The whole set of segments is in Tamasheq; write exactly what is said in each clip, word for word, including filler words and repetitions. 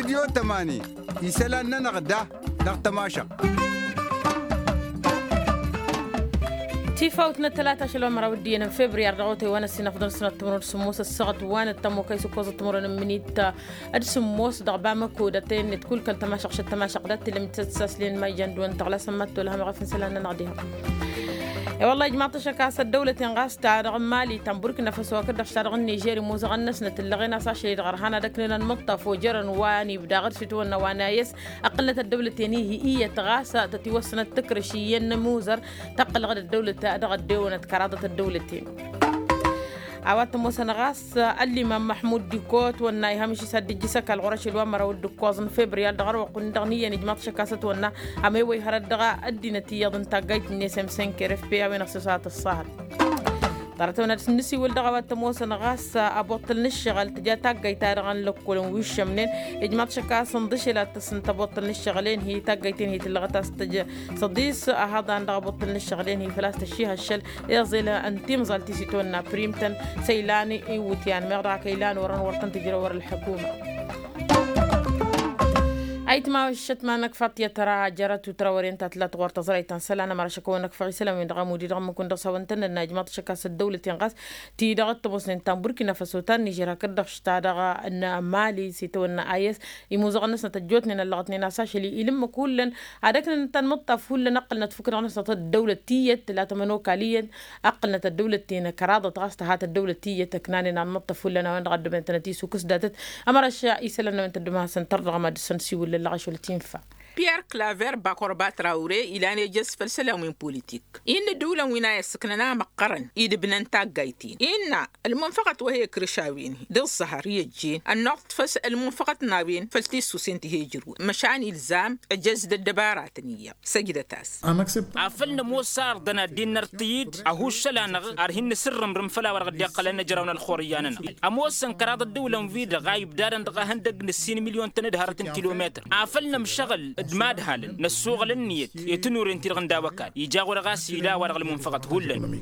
Radyo tămani isălan-nănăɣ da dăɣ-tămašăɣt. Tifawt n-ăttălata ašăl wa n-măraw d-iyyăn n-febriyar dăɣ-otay wa n-ăssinăfḍăn s-năttămrăwăn s-sǝmmos ăssaɣăt wa n-ăttămokăy s-ǝkkoẓăt timǝrwen n-imǝnit d-sǝmmos dăɣ-bamăko d-ătăyăn-net kull kăl-tămašăɣt šăt tămašăɣt dat-tǝlăm itǝssaslin ma ijan d-wăn tăɣlasăn ma t-olhăm ɣef n-isălan-nănăɣ diha. I-wălla ijmaḍ-t ašăk a-s ăddăwlăten ɣas ta dăɣ-mali ta n-burkina faso hakd-dăɣ ta dăɣ-nižer imuzăɣăn-năsnăt ǝllăɣen a-s ašăl-i-dăɣ ărhan ad-ăknen ănmǝṭṭaf ojărăn wa n-ibda ɣǝr s-itwănna wa n-ayǝs. Ăqqǝlnăt ăddăwlăten-i-hi iyyăt ɣas tătiwăssănăt tǝkrǝš iyyăn n-imuzăr tăqqǝlăɣ-dd ăddăwlăt-a-dăɣ ăddewănăt kăraḍăt ăddăwlăten. A-wa t-ămoosăn ɣas ăllimam măḥmud dikko ătwănna ihămǝš-i s-ad-dd-ijjǝs ăkall ɣur-ašăl wa n-măraw d-ǝkkoẓ n-febriyar dăɣ-ărwăqqun-dăɣ n-iyyăn ijmaḍ-t ašăk a-s ătwănna. Amăyăwăy hărăt dăɣ-a ăddinăt iyyăḍ n-taggayt-net m-senker f p a-wen ăṣṣăsat ăṣṣahăt. Ḍarăt-a-wen ad-dăr-s nǝsiwǝl dăɣ-a-wa t-ămoosăn ɣas aboṭṭăl n-ǝššăɣǝl tǝja taggayt-ta-dăɣ n-lăkkol n-wǝššămnen. Ijmaḍ-t ašăk a-s ǝnḍǝšel ad-tăssǝnt aboṭṭăl n-ǝššăɣǝl-en-hi taggayt-en-hi tǝllăɣăt a-s tǝj tăḍis. Ahăḍan dăɣ-aboṭṭăl n-ǝššăɣǝl-en-hi făl-a-s tăšših ăššăl iẓel n-timẓalt-i s-itwănna prim-tăn. S-ăylan iwǝtyan meɣ dăɣ-ak ăylan orăn wăr tăn-tǝjrăw wăr-ălḥăkuma. Ayǝtma ăššăt ma n-ăkfaḍ tiyyăt tăra jărăt u-tăra wăren ta tǝlat ɣur-tăẓra ayǝtăn isălan ămăra šăkăwăn ăkfăɣ isălan-wen-dăɣ ămud-i-dăɣ ǝmmǝk-wǝn dăɣ-s a-wăn tăn-nănna ijmaḍ-t ašăk a-s ăddăwlăt-en ɣas ti-dăɣ ăttămoosnen ta n-burkina faso ta n-nižer hakd-dăɣ ta dăɣ-n mali s-itawănna ayǝs. Imuzăɣăn-năsnăt ăjjootnen ăllăɣătnen a-s ašăl-i ilǝmmǝk hullan ad-ăknănăt tanmǝṭṭaf hullan ăqqǝlnăt fukǝdăɣ-năsnăt ăddăwlăt tiyyăt tǝla tămănokaliyăn. Ăqqǝlnăt ăddăwlăt-ten kăraḍăt ɣas tăhat ăddăwlăt tiyyăt ăknanen anmǝṭṭaf hullan a-wen-dăɣ ăddămnen tănăt-isukǝs datăt. Ămăra š-isălan n-a-wen tăddum ad-hasăn-tărdăɣăm ad-dăr-săn siwǝllăn lăɣašăl tinfa. Pierre claver bakor batraure ilan ejăz făll-isălan wi n-politik innă ăddiwǝlăn wi n-a i-ăssǝknăn a măqqărăn idǝbnăn taggayt-in innă ălmunfăɣăt wa he-ikrǝš a-wen-hi d-ǝẓẓăhăr i-ăjjeen ănnuɣ-t făll-s ălmunfăɣăt n-a-wen făll-tissusen ti he-ijrǝwăn măšan ilzam ăjăz d-ăddăbaratăn iyyăḍ. Săjdăt-as. Afăl nămoos arḍăn ad-dd-innărtǝy-dd ăhuššăl-anăɣ ar hin-nǝsǝrrǝmrǝm făll-a-wa dăɣ-dd-iqqălăn ijraw n-ălxur iyyan-nănăɣ. Ămoosăn kăraḍ ăddiwǝlăn-wi-dăɣ a ibdadăn dăɣ-ehăndăgg n-ǝssin milyon-tăn d-hărăt n-kilometăr afăl nămšăɣǝl d-imadhalăn năssuɣǝl ǝnniyăt i-tănuren-ti-dăɣ n-daw-ăkall ija ɣur-ɣas ila a-wa dăɣ-ălmunfăɣăt hullan.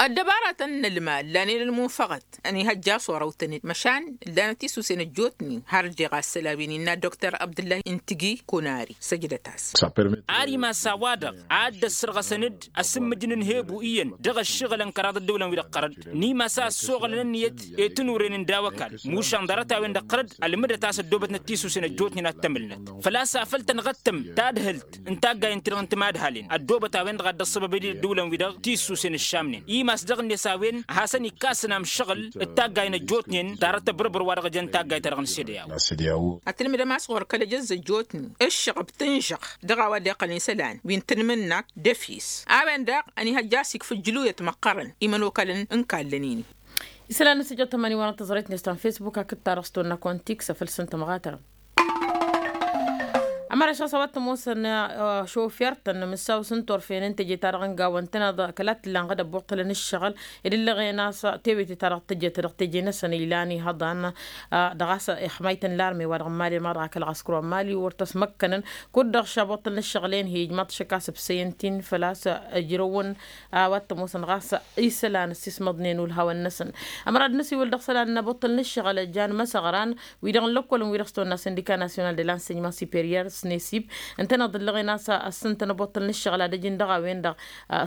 Ăddăbaratăn n-ălmal lanen ălmunfăɣăt ănihăjja s-orăw-tăn-dd măšan ǝllanăt tisusen ăjjootnen har ăjjeɣ assălawen innă doktor abdǝllah n-tǝgi kunari. Săjdăt-as. Ar imas a-wa-dăɣ a dd-ăssărɣăsăn-dd asǝmmǝj n-inhebu iyyăn dăɣ-ǝššăɣǝlăn kăraḍ ăddăwlăn-wi-dăɣ ɣărăt n-imas a ăssoɣălăn ǝnniyăt i-tănuren n-daw-ăkall mušan ḍarăt-a-wen-dăɣ ɣărăt ălmǝdăt a-s ăddoobătnăt tisusen ăjjootnen ad-t-ămǝlnăt făl-a-s afăl tănɣăttăm tadhǝlt n-taggayăn-ti-dăɣ n-timadhalen ăddoobăt a-wen-dăɣ a dd-ăṣṣăbăb-dd ăddiwǝlăn-wi-dăɣ tisusen ǝššamnen imas dăɣ-net a-wen ad-hasăn-ikkasăn amšăɣǝl d-taggay n-ăjjootnen ḍarăt ăbrăbăr wa dăɣ-jăn taggayt-ta-dăɣ n-sede. Ad-tǝlmǝdăm a-s ɣur-kăl-ejăzz ăjjootnen ǝššăɣăb tǝnžăɣ dăɣ-a-wa dd-iqqălăn isălan wi n-tǝnmǝnna d-efis a-wen daɣ ănihăjja a-s ikfǝjjǝluyăt măqqărăn imănokalăn n-kallăn-in-i. Isălan n-asǝjjăḍ tămani wa n-tăẓrăyt-net ta n-fesbuk hakd ta dăɣ-s tonna kontiks a făl s-ǝntăm ɣatărăn. Ămăra šăɣ s-a-wa t-ămoosăn šofer-tăn n-imǝssaw s-ǝnturfen n-teje-ta-dăɣ n-gawăn-tăn kăla t-ǝllan ɣǝd ăbbuṭṭălăn ǝššăɣǝl ed ǝllăɣen a-s tewete-ta-dăɣ tǝjjăt dăɣ-teje-năsăn ilan ihăḍan. Dăɣ-a-s ixmayt n-larme wa dăɣ-n-mali ma dăɣ-akăl ɣaskăr wa n-mali wăr tăsmăkkănăn kud-dăɣ šabuṭṭălăn ǝššăɣǝl-en-hi ijmaḍ-t ašăk a-s ǝbsăyăn-t-in făl-a-s ǝjrăwăn. A-wa t-ămoosăn ɣas isălan ăssiismăḍnen ulhawăn-năsăn. Ămăra d-năsiwǝl dăɣ-isălan n-aboṭṭăl n-ǝššăɣǝl jan măsăɣran wi-dăɣ n-lăkkol n-wi-dăɣ s-tăwănna sindika nasyonal de l-ensăyman superior s-nesib ǝntăneḍ ǝllăɣen a-s ăssǝntăn aboṭṭăl n-ǝššăɣǝl ad-ăjǝn dăɣ-a-wen-dăɣ.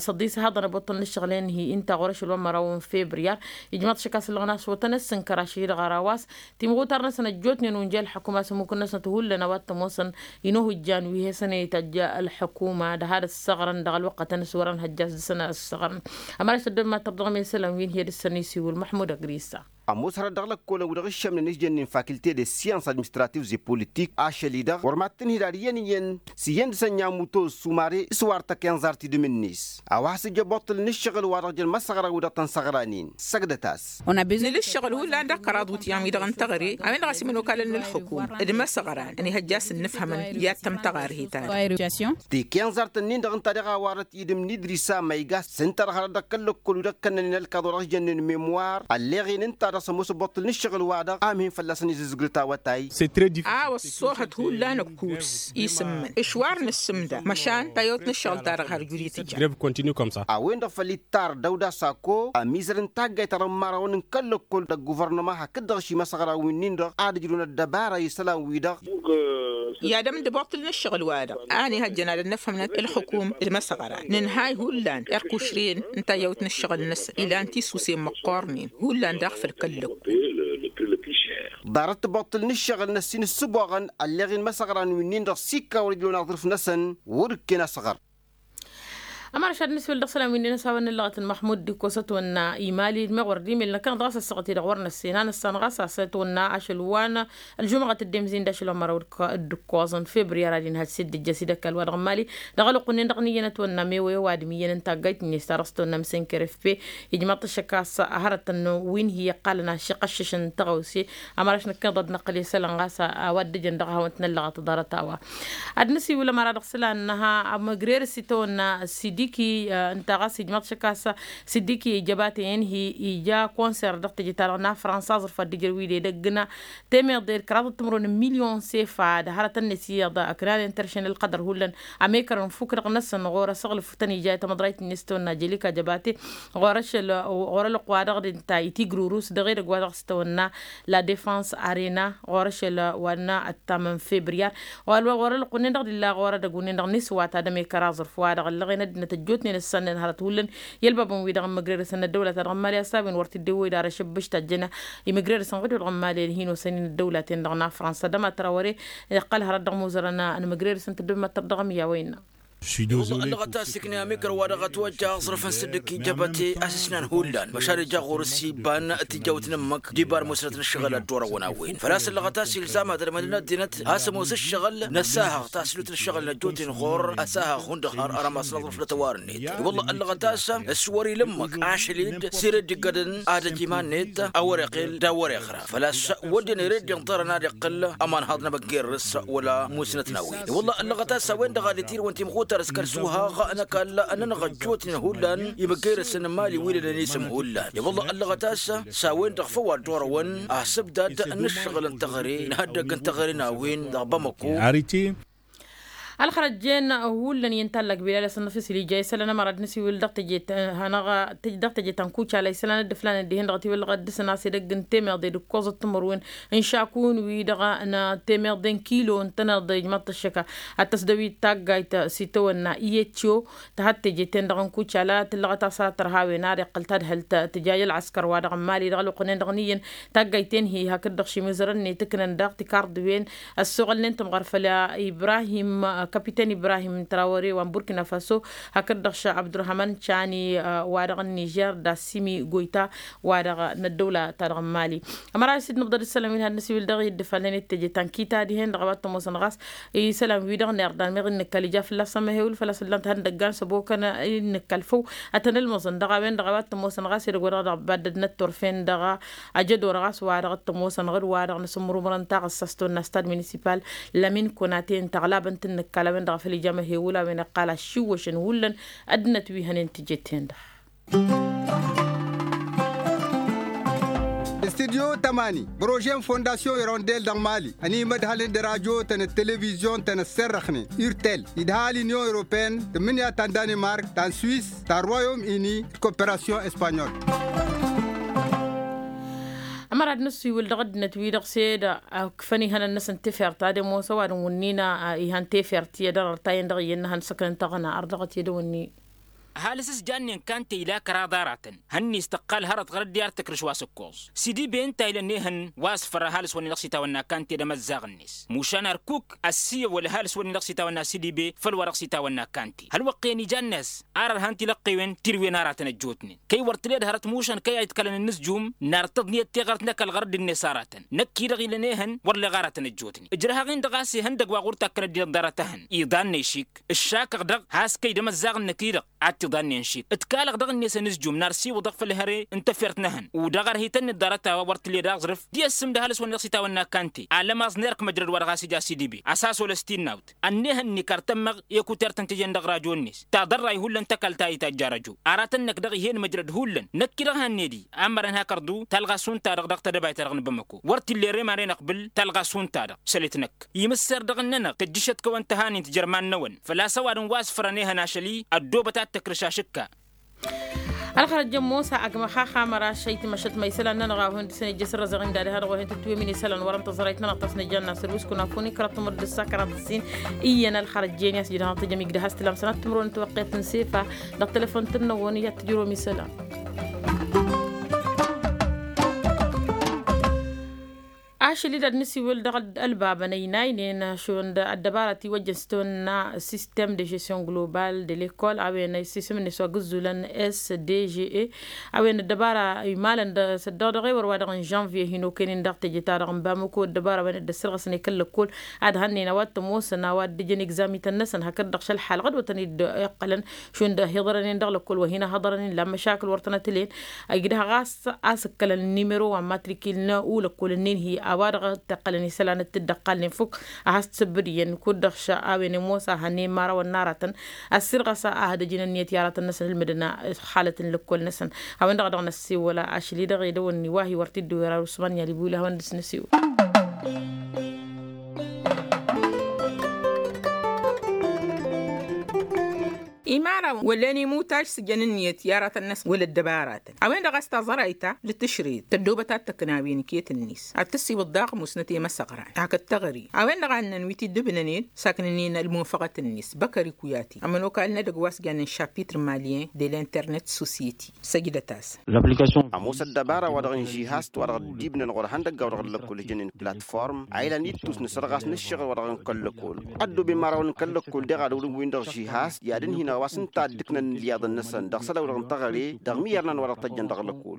S-ăḍḍis haḍăn aboṭṭăl n-ǝššăɣǝl-en-hi ǝnta ɣur-ašăl wa n-măraw n-febriyar. Ijmaḍ-t ašăk a-s ǝllăɣăn a-s wătăn ăssǝnkăr ašăl-i-dăɣ ăraw a-s timɣutar-năsăn ăjjootnen unjel ălḥukuma s-ămmukǝn-năsnăt hullan a-wa t-ămoosăn inohǝjjan wi he-săn ităjj ălḥukuma d-had-ăssaɣrăn dăɣ-ălwăqqătăn s-wărăn hăjja a-s dăr-săn ad-ăssaɣrăn. Ămăra s-ăddămma tărdăɣ mesălăn wi n-hi-dd-săn isiwǝl măḥmud ăgrisa. Ămoos hărăt dăɣ-lăkkolăn wi-dăɣ ǝššămnen s-jănnen fakilte de syans administrativ ze politik ašăl-i-dăɣ wăr mad-tǝnhǝy d-ad-iyyăn iyyăn s-iyyăn dăɣ-săn i-amuto s-umare s-wa ărtăk inẓar tidǝm-net. A-wa has-ǝjjă boṭṭǝl n-ǝššăɣǝl wa dăɣ-jăn măsăɣra wi-dăɣ tăn-săɣranen. Săgdăt-as. Nǝla ǝššăɣǝl hullan dăɣ-kăraḍ wǝtyan wi-dăɣ n-teɣăre a-wen-dăɣ a-s imănokalăn n-ǝlxǝkum d-imăsăɣran ănihăjja a-s ǝnnǝfhămăn i-ad-tăm tăɣarhit-ad-dăɣ. Teke inẓartăn-nin-dăɣ ǝnta dăɣ-a warăt idǝm n-idrisa ma iga a-s ǝnta dăɣ-hărăt dăɣ-kăl-lăkkol wi-dăɣ kănnănen ălkaḍu dăɣ-s jănnen memwar ălleɣen ǝnta. Dăɣ-s ămoos ăbbuṭṭǝl n-ǝššăɣǝl-wa-dăɣ a mǝhǝn fălla-săn izǝzgǝl tawătay. A-wa ăṣṣoohăt hullan ǝkkuds isǝmmǝn ǝšwar n-ǝssǝmda măšan tayăwt n-ǝššăɣǝl-ta-dăɣ har juri tǝja. A-wen-dăɣ făl ittar dăwda sako ămizăr n-taggayt ta dăɣ-imărawăn n-kăl-lăkkol dăɣ-guvărnăma hakd-dăɣ ăšimăsăɣra winnin-dăɣ ad-ǝjrǝwăn ăddăbara i-isălan-wi-dăɣ. I-ad-ămdăboṭṭǝl n-ǝššăɣǝl-wa-dăɣ a ănihăjjăn ad-ănnăfhămnăt ǝlxǝkum d-imăsăɣra nǝnhay hullan irkušren n-tayyăwt n-ǝššăɣǝl-năsăn ilan tisusen măqqornen hullan daɣ făll-kăl-lăkku. Ḍarăt tiboṭṭǝl n-ǝššăɣǝl n-ăssin ǝssǝboɣăn ălleɣ-in imăsăɣran winnin-dăɣ s-ikka wăr-ǝjrǝwăn aẓrǝf-năsăn wăr-ǝkken asăɣăr. Ămărăš ad-nǝswǝl dăɣ-isălan wi ǝnnin a-s a-wa n-ǝllăɣăt n-măḥmud d-ikkos ătwănna imali d-meɣ wăr dd-imil năkkăneḍ ɣas ăssaɣăt-i-dăɣ wăr năssen a năssanăɣ a-s a-s ătwănna ašăl wa n-ălžumăɣăt dd-emzin d-ašăl wa n-măraw d-ǝkkoẓăn febriyar ad-inhăj s-dd-ǝjjăs idăkk ălwa dăɣ-n mali. Dăɣ-ălwăqq-nin-dăɣ n-iyyăn ătwănna mewăyăw ad-imǝyyăn n-taggayt-net ta dăɣ-s tăwănna msǝnker efpe ijmaḍ-t ăššăk a-s hărătăn wi n-hi-iqqalăn ašăk ăššǝšăn n-tăɣawse. Ămăraš năkkăneḍ ad-năqqǝl i-isălan ɣas a-wa dd-ǝjăn dăɣ-ehăwăn-t n-ăllăɣăt ḍarăt a-wa ad-nǝsiwǝl ămăra dăɣ-isălan n-ha ămăgrerăs itawănna sidiki. Ǝnta ɣas ijmăḍ šăk a-s sidiki jăbate i-ǝnhǝy ija konser dăɣ-teje-ta-dăɣ n-afrănsa aẓrǝf ad-dd-ǝjrăw wi d-edăgg n-temeḍe d-kăraḍăt timǝrwen n-milyon sefa d-hărătăn-net iyyăḍ ăknan intăršen ălqădăr hullan. Ămekărăn fuk-dăɣ-năsăn ɣur-asăɣlǝf tăn-ija i-tamăḍrayt-net tăwănna jelika jăbate ɣur-ašăl ɣur-ălwăqq-wa-dăɣ d-ǝnta itigrurus dăɣ-edăgg wa dăɣ-s tăwănna la defans arena ɣur-ašăl wa n-ăttam n-febriyar. Ɣur-ălwăqq-nin-dăɣ d-illa ɣur-edăgg-wǝnnin-dăɣ n-iswa ta d-ămekăr aẓrǝf-wa-dăɣ ăllăɣen ăddinăt ăjjootnen ǝssannen hărăt hullan i-ălbabăn-wi-dăɣ n-imǝgrerăsăn n-ăddăwlăt-a-dăɣ n-imali a-s a-wen wăr t-dd-ewwey d-ara ašăbbǝš tajjăna imǝgrerăsăn ɣǝd-wi-dăɣ n-imali ălhin-osăn-in ăddăwlaten-dăɣ n-afrănsa dăma trawăre. Iqqăl hărăt dăɣ-imuzărăn n-imǝgrerăsăn tǝddǝbmăttăr dăɣ-emǝyya wa innă. Ăllăɣăt a-s ikna amekăr-wa-dăɣ ătwăjja aẓrǝf n-sǝddǝk i-jăbăte a-s ǝsnan hullan măšan ija ɣur-s iba n-tijawt n-ǝmmǝk d-iba n-musnăt n-ǝššăɣǝl ad-dd-orăwăn a-wen făl-a-s ăllăɣăt a-s ilzam ad-ălmădăn ăddinăt a-s ămoos ǝššăɣǝl n-ăssahăɣ tasǝlut n-ǝššăɣǝl n-ăjjootnen ɣur-ăsahăɣ hundăɣ har ărămas n-aẓrǝf n-ătwar-net. Wălla ăllăɣăt a-s s-wăr-ila ǝmmǝk ašăl-dd s-ere dd-iggădăn ad-ăj iman-net a wăr-iqqel d-a wăr-iɣra făl-a-s wădden ere dd-inḍărăn ad-iqqǝl ămanhăḍ n-amăggerrǝs wăla musnăt n-a-wen. Wălla ăllăɣăt a-s a-wen-dăɣ ad-itirǝwăn timxutar s-kăl-suhaɣ n-ăkall ănnănăɣ ăjjootnen hullan imăggerrăsăn n-imali wi lănen isǝm hullan. Wălla ăllăɣăt a-s s-a-wen-dăɣ făw ad-dd-orăwăn asǝbdad n-ǝššăɣǝl n-teɣăre n-ihăddăgg n-teɣăre n-a-wen dăɣ-bamăko. Ălxărăjjen hullan i-ǝntallăg bilal asǝnnăf isǝlija isălan ămăra d-nǝsiwǝl dăɣ-teje ta n-kucala isălan dd-ǝflanen dihen-dăɣ ătiwǝllăɣ ad-dăr-săn a-s edăgg n-temeḍe d-ǝkkoẓăt timǝrwen n-išakun-wi-dăɣ n-temeḍe n-kilo n-tăneḍe ijmăḍ-t ăššăka ad-tăsdăwit taggayt s-itawănna i-eco. Tăhăt teje-ten-dăɣ n-kucala tǝllăɣăt a-s ad-tărha a-wen ad-iqqăl tadhǝlt tǝjaj ălɣăskăr-wa-dăɣ n-mali dăɣ-ălwăqq-nen-dăɣ n-iyyăn taggayt-en-hi hakd-dăɣ šimǝzărăn-net ǝknăn daɣ tikarḍǝwen ăssoɣălnen tǝmɣăr făll-ibrahim kapiten ibrahim trawăre wa n-burkina faso hakd-dăɣ ša abdurhaman cani wa-dăɣ n-nižer d-assimi goyta wa-dăɣ n-ăddăwla-ta-dăɣ n-mali. Ămăra s-dd-nǝbḍăd ǝssălăm-in had-nǝsiwǝl dăɣ-i dd-ǝfalnen d-teje ta n-kita dihen-dăɣ a-wa t-ămoosăn ɣas isălan-wi-dăɣ n-irḍan meɣ innǝkkal ija fălla-s ămăhewǝl făl-a-s ǝllan-t ihăndăggan s-ăbokăn innǝkkal făw ad-tăn-ǝlmǝẓăn dăɣ-a-wen-dăɣ a-wa t-ămoosăn ɣas edăgg wa dăɣ-dăɣ ăbbaddădnăt turfen dăɣ-a ăjădor ɣas wa dăɣ-t-ămoosăn ɣǝd wa dăɣ-nǝsǝmmărumărăn taɣǝssast tăwănna stad municipal lămin kăwănate n-tăɣlabăn t-ǝnnǝkkal a-wen-dăɣ făl ija ămăhewǝl a-wen iqqal aššiwwăšăn hullan ăddinăt wi hănen tijet-ten-dăɣ. Studyo tămani prože n-fondasyon irondel dăɣ-mali ănimădhălăn d-radyo-tăn d-televizyon-tăn ăsserrăxnen urtel idha l-inyon europeen tǝmmǝnǝya ta n-danimark ta n-swis ta n-royom ini d-koperasyon espanyol. Ămăra d-nǝssiwǝl dăɣ-ăddinăt-wi-dăɣ s-e-d ǝkfăn ihănăn-năsăn tefert ad-ămoos ăwadǝm wǝnnin ihăn tefert i-ad-ărăr ta-en-dăɣ iyyăn n-ihăn săknăn taɣna ărdăɣăt i-ad-ăwǝnni. Ăhalǝs s-jannen kante ila kăraḍ aratăn hănnis tăqqal hărăt ɣur-ăddiyar tăkrǝš wa s-ǝkkoẓ sidi be ǝnta ilăn ehăn wa s-făr ăhalǝs-wăn-i dăɣ-s itawănna kante d-emăzzaɣ-net mušan ărkuk ăssiyăwăl ăhalǝs-wăn-i dăɣ-s itawănna sidi be făll-wa dăɣ-s itawănna kante hălwăqq-en ijan-năs ar ărhan tilăqqewen tirǝwen aratăn ăjjootnen kăy-wăr tǝled hărăt mušan kăy-a iḍkălăn ǝnnǝzjum nartăḍ niyăt tiɣărt n-ăkall ɣur-dd-net aratăn năkk-i-dăɣ ilăn ehăn wăr leɣ aratăn ăjjootnen ǝjrăhăɣ-in-dăɣ a-s ihăndăg wa ɣur-takkăn ăddinăt ḍarăt-ehăn iḍan n-ešik ǝššakăɣ-dăɣ has-kăy d-emăzzaɣ-năk-i-dăɣ ad. tiḍa-nen šit ǝtkalăɣ dăɣ-net ănǝzjum n-ar siwǝḍăɣ făll-hăre n-tefert n-ehăn. U-dăɣ ărhităn-net ḍarăt-a-wa wăr t-dd-ăẓrǝf. Di-ăssǝm d-ahălăs wa n-iɣsitawăn n-akkante alămaẓ n-erk măjrăd wa dăɣ-a-s ija s-idibeb a-s asolăs tinnawt. Ănnihăn-ni kăr-tămmăɣ ekutert tăn-tejăn dăɣ-rajo-net taḍărray hullan tăkalt ta itajj arăjo. Aratăn-năk dăɣ-ih'-en măjrăd hullan năkk-i dăɣ-hanned-i. Amărăn hakăr-ḍu talɣa šund-ta-dăɣ dăɣ-tedăbayt-ta-dăɣ n-bamăko wăr t-illa erem a ren-ăqbǝl. Talɣa šund-ta-dăɣ sălet-năkk imǝsser dăɣ-ǝnnănăɣ tăjjǝšăt kăwăn-tăhanin tijărman-năwăn făl-a-s ăwadǝm wa s-fărăn ehăn ašăl-i. Ăddoobăt ad-tăkrǝš ašǝkka. Ălxărăt jăn mosa agmăx axamăr ašăy tǝmăšăt ma isălan-nănăɣ a-wa hin-dăr-săn ejjăs ărrăẓeɣ-in d-ad-ehăḍăɣ wa hin-tǝtwǝmǝn isălan wăr-ănta ẓărayt-nănăɣ ta s-nǝjjan n-asăl wi s-kăwăn-afun ikrăt timǝrǝd d-ǝssa kăraḍ ǝssin. Iyyăn ălxărăt jăn i-a-s jidăɣ tăjăm igdăh a-s tǝlam sănat timǝrwen n-tiwăqqet n-sefa. Dăɣ-telefon-tăn-năwăn i-ad-tǝjrǝwăm isălan. Ašăl-i d-ad-nǝsiwǝl dăɣ-ălbabăn ăynaynen šund ăddăbara tiwăjjăn s-tăwănna sistem de žestion global de lekol a-wen isǝsǝm-net wa gǝzzulăn s d g e. A-wen ăddăbara imalăn d-săddăɣ dăɣ-ewăr wa dăɣ-n žănvye hin-okăynen dăɣ-teje-ta-dăɣ n-bamăko ăddăbara a-wen dd-ăssărɣăsăn i-kăl-lăkkol. Ad-hănnen a-wa t-ămoosăn a-wa dd-ǝjăn egzamităn-năsăn hakd-dăɣ šăl ḥalɣăd wa tăn-dd-iqqălăn šund ăhiḍărănen dăɣ-lăkkol wa hin-ăhăḍărănen la măšakǝl wăr tănăt-ǝlen. Igdăh ɣas a-s ǝkkălăn nimero wa n-matrikil n-ulăkkol-ǝnnin hi-a-wa-dăɣ t-iqqălăn isălan d-tǝddăqqalnen fukk. A has-t-sǝbbǝd iyyăn kud-dăɣ š-a-wen ămoos a hănen imărawăn n-aratăn. Ăssirɣăs a hădăj-in ǝnniyăt i-aratăn-năsăn ǝlmǝdăn ăxxalăt n-lăkkol-năsăn. A-wen-dăɣ a dăɣ-năssewăl ašăl-i-dăɣ edăwănni wa hi-wăr t-dd-iwǝrar usman i-alibula a hawăn-dd-săn-ăsiwăl. Imărawăn wăllen imutaj s-jăn ǝnniyăt i-aratăn-năsăn wăla ăddăbaratăn a-wen-dăɣ a-s taẓărayt-a d-tǝšred tăddoobăt ad-tăkna wi n-iket-net ad-tǝssiwǝḍ daɣ musnăt i-imăsăɣran hakd teɣăre. A-wen-dăɣ a ǝnnăn wi t-dd-ǝbnănen saknăn-in ălmunfăɣăt-net băkăr ikwiyati ămănokal n-edăgg wa s-jannen šapitr malyen de l-internet sosyeti. Săjdăt-asăn. Ămoos ăddăbara wa dăɣ-n žihast wa dăɣ-dd-ibnăn ɣur-ihăndăggaw dăɣ-ǝllăkkol ǝjănnen platform a ilan ittus n-asărɣas n-ǝššăɣǝl wa dăɣ-n kăl-lăkkol. Ăddooben imărawăn n-kăl-lăkkol deɣ ad-ăwrǝm-win-dăɣ žihast i-ad-ǝnhǝyăn a-wa s-ǝnta a dd-ǝknăn ǝlyaḍăn-năsăn dăɣ-isălan-wi-dăɣ n-teɣăre dăɣ-imǝyyărnan wa dăɣ-tăjjăn dăɣ-lăkkol.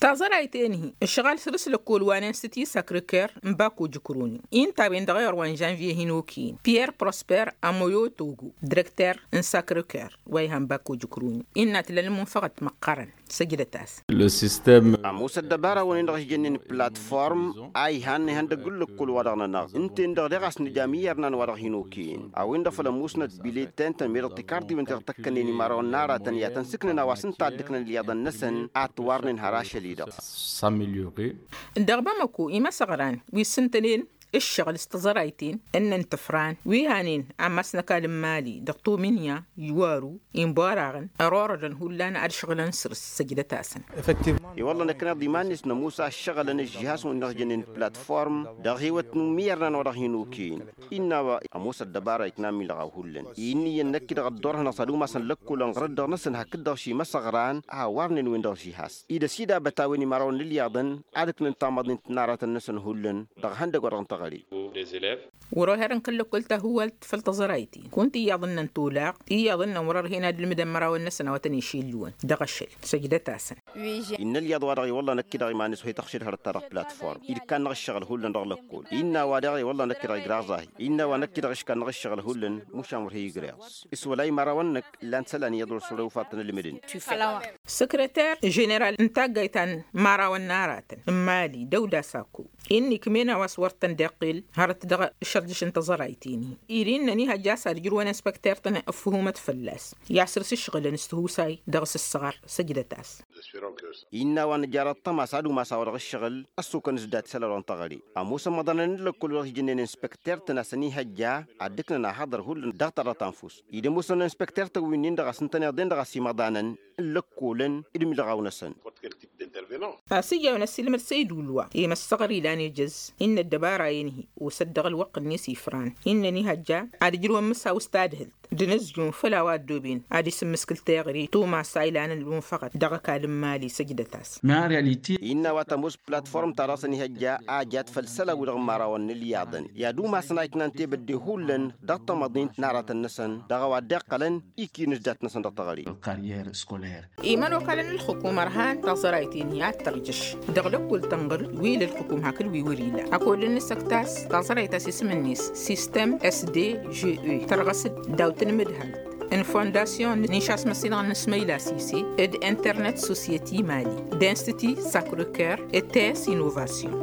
Taẓărayt-en-hi ǝššăɣal săr-s lăkkol wa n-institut sacré-cœur n-bako jǝkroni. Ǝnta a-wen-dăɣ ewăr wa n-žănvye hin-okăyăn pierre prosper amoyotogo direkter n-sacré-cœur wa ihan bako jǝkroni innă tǝla n-imǝnfăɣăt măqqărăn. Săjdăt-asăn. Ămoos ăddăbara-wăn-en-dăɣ a-s jănnen platform a ihan ihăndăgg n-lăkkol-wa-dăɣ-nănăɣ ǝnta-en-dăɣ daɣ a-s nǝja imǝyyărnan wa dăɣ-hin-okăyăn a-wen-dăɣ făl ămoosnăt biletten-tăn meddǝɣ tikarḍiwen ti-dăɣ tăkkănen imărawăn n-aratăn i-ad-tăn-sǝknăn a-wa s-ǝnta a dd-ǝknăn ǝlyaḍăn-năsăn ad-t-warnen har ašăl-i-dăɣ. Dăɣ-bamăko imăsăɣran wi s-ǝntănen ǝššăɣǝl s-taẓărayt-en ǝnnăn tǝfran wi hanen ammas n-ăkall n-mali dăɣ-tomǝnya iwaru inbaraɣăn ărorădăn hullan ad-ǝšɣǝlăn săr-s. Săjdăt-asăn. I-wălla năkkăneḍ iman-net nămoos a ǝššăɣǝlăn ǝžžihasăn wi n-dăɣ-jănnen platform dăɣ-hewăt n-imǝyyărnan wa dăɣ-hin-okăyăn. Innă a-wa ămoos ăddăbara ikna milɣaw hullan i-ǝnniyăn năkk-i-dăɣ ăddoorhăn ăṣ-ad-umasăn lăkkolăn ɣărăt-dăɣ-năsăn hakd-dăɣ ši imăsăɣran a hawărnen-wen-dăɣ žihas. Ida s-idabăt a-wen imărawăn n-ǝlyaḍăn ad-ǝknăn tamăḍint n-aratăn-năsăn hullan dăɣ-ihăndăgg wa dăɣ-n teɣăre. Wăr-oher n-kăl-lăkkol tahǝwalt făll-taẓărayt-in kunta iyyăḍ ǝnnăn tolaɣt iyyăḍ ǝnnăn wăr-ărhen ad-ǝlmǝdăn imărawăn-năsăn a-wa tăn-išillǝwăn dăɣ-ašăl. Săjdăt-asăn. Innă ălyaḍ-wa-dăɣ i-wălla năkk-i-dăɣ iman-net wa ităɣšăd hărăt-ta-dăɣ platform-i d-ikkan-năɣ ǝššăɣǝl hullan dăɣ-lăkkol. Innă a-wa daɣ i-wălla năkk-i-dăɣ igraɣ zahi. Innă a-wa năkk-i-dăɣ iškan-năɣ ǝššăɣǝl hullan mušan wăr he-igreɣ s-wăla imărawăn-năk. Illan isălan iyyăḍ wăr s-wăr-ăwfăḍ-tăn ǝlmǝdăn. Săkrăter ženeral n-taggayt ta n-imărawăn n-aratăn n-mali dăwda sako innă ikm'-en a-wa s-wăr tăn-dd-iqqel hărăt dăɣ-ašărdǝš n-taẓărayt-in-hi. Iri ǝnnăn ihăjja a-s ad-ǝjrǝwăn inspekter-tăn ǝffǝhumăt fălla-s i-ad-săr-s ǝššăɣǝlăn s-tihusay dăɣ-s ǝssăɣăr. Săjdăt-as. Innă a-wa nǝjar ăṭṭăma s-ad-umas a-wa dăɣ-ǝššăɣǝl ăssukăn s-dat isălan wa n-teɣăre. Ămoosăn imăḍanăn n-lăkkol wa dăɣ-s jănnen inspekter-tăn a-s ănihăjja ad-dd-ǝknăn ahăḍăr hullan dăɣ-taḍăt ta n-fus. Ed ămoosăn inspekter-tăn wi-nin-dăɣ a-s ǝntăneḍ-en-dăɣ a-s imăḍanăn n-lăkkolăn d-imǝlɣaw-năsăn. Ăsijawăn ăssiilmăd săydul wa i-măssăɣăr ilan ejăz innă ăddăbara-en-hi osăt dăɣ-ălwăqq-net ifran innă ănihăjja ad-ǝjrǝwăn mǝsaw s-tadhǝlt d-inǝzjum făll-a-wa ăddooben ad-isǝmmǝskǝl teɣăre tumas a ilan ălwǝnfăɣăt dăɣ-ăkall n-mali. Săjdăt-as. Innă a-wa tămoos platform-ta-dăɣ s-ănihăjja a jat făll-isălan-wi-dăɣ n-imărawăn n-ǝlyaḍăn i-ad-umasăn a iknan tebădde hullan dăɣ-tamăḍint n-aratăn-năsăn dăɣ-a-wa dd-iqqălăn ikinǝs dat-năsăn dăɣ-teɣăre. Imănokalăn n-ǝlxǝkum ărhan taẓărayt-in-hi ad-tărjǝš dăɣ-lăkkul tănɣǝl wi l-ǝlxǝkum hakd wi wăr-ila. Ăkodd n-asăktas taẓărayt a-s isǝm-net sistem s d g e tărɣăs-dd daw-tăn imǝdhalt. n-fondasyon n-išasmăsinăɣ n-asmăyla sise d-internet sosyeti mali, d-institi sacrocœur d-tes inovasyon.